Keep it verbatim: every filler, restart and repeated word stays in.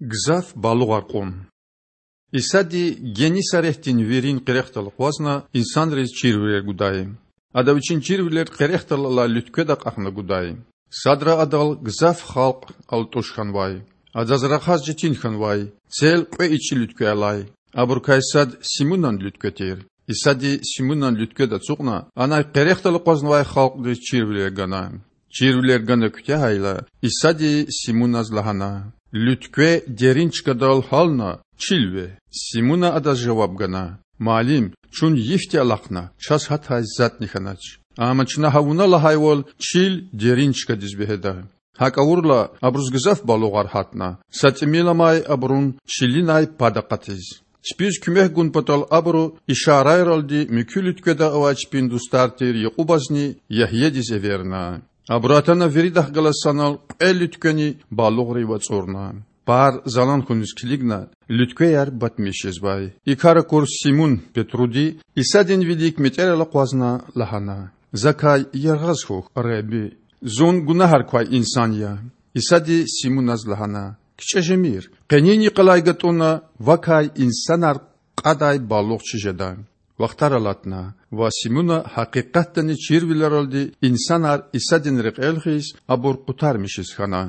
Гзаф балугъар кьун. Исади Геннисаретдин вирин къерехдал акъвазна инсанриз чирвилер гудай. Ада Вичин чирвилер къерехдал алай луьткведа акьахна гудай. Садра Адал гзаф халкь алтІуш хьанвай. Адаз рахаз четин хьанвай, цел кьве ичІи луьткве алай. Абурукай сад Симунан луьткве тир. Исади Симунан луьткведа ацукьна, анай къерехдал акъвазнавай халкьдиз чирвилер гана. Чирвилер гана куьтягьайла, Исади Симуназ лагьана: Луьткве дерин чкадал гьална, чил ве. Симуна Адаз жаваб гана: Муаллим, чун йифди алахъна, чаз гьатай затІни хьанач. Амма чна гьа Вуна лагьайвал, чил дерин чкадиз вегьеда. ГьакІ авурла, абуруз гзаф балугъар гьатна, са тІимил амай абурун чилинай пад акъатиз. Чпиз куьмек гун патал абуру ишарайралди муькуь луьткведа авай чпин дустар тир Якьубазни Ягьядиз эверна. Абуру атана виридахъ галаз санал кьве луьтквени балугърив ацІурна. Пар залан хьуниз килигна, луьтквеяр батмиш жезвай. И кар акур Симун-Петруди, Исадин вилик метІерал акъвазна, лагьана: Закай яргъаз хьухь, Худа. Зун гунагьар квай инсан я. Исади Симуназ лагьана: КичІе жемир. Къенин йикъалай гатІунна вакай инсанар кьадай балугъ чи жеда. Вахтар алатна ва Симуна гьакъикъатдани чирвилералди инсанар Исадин рекьел хьиз, абур къутармишиз хьана.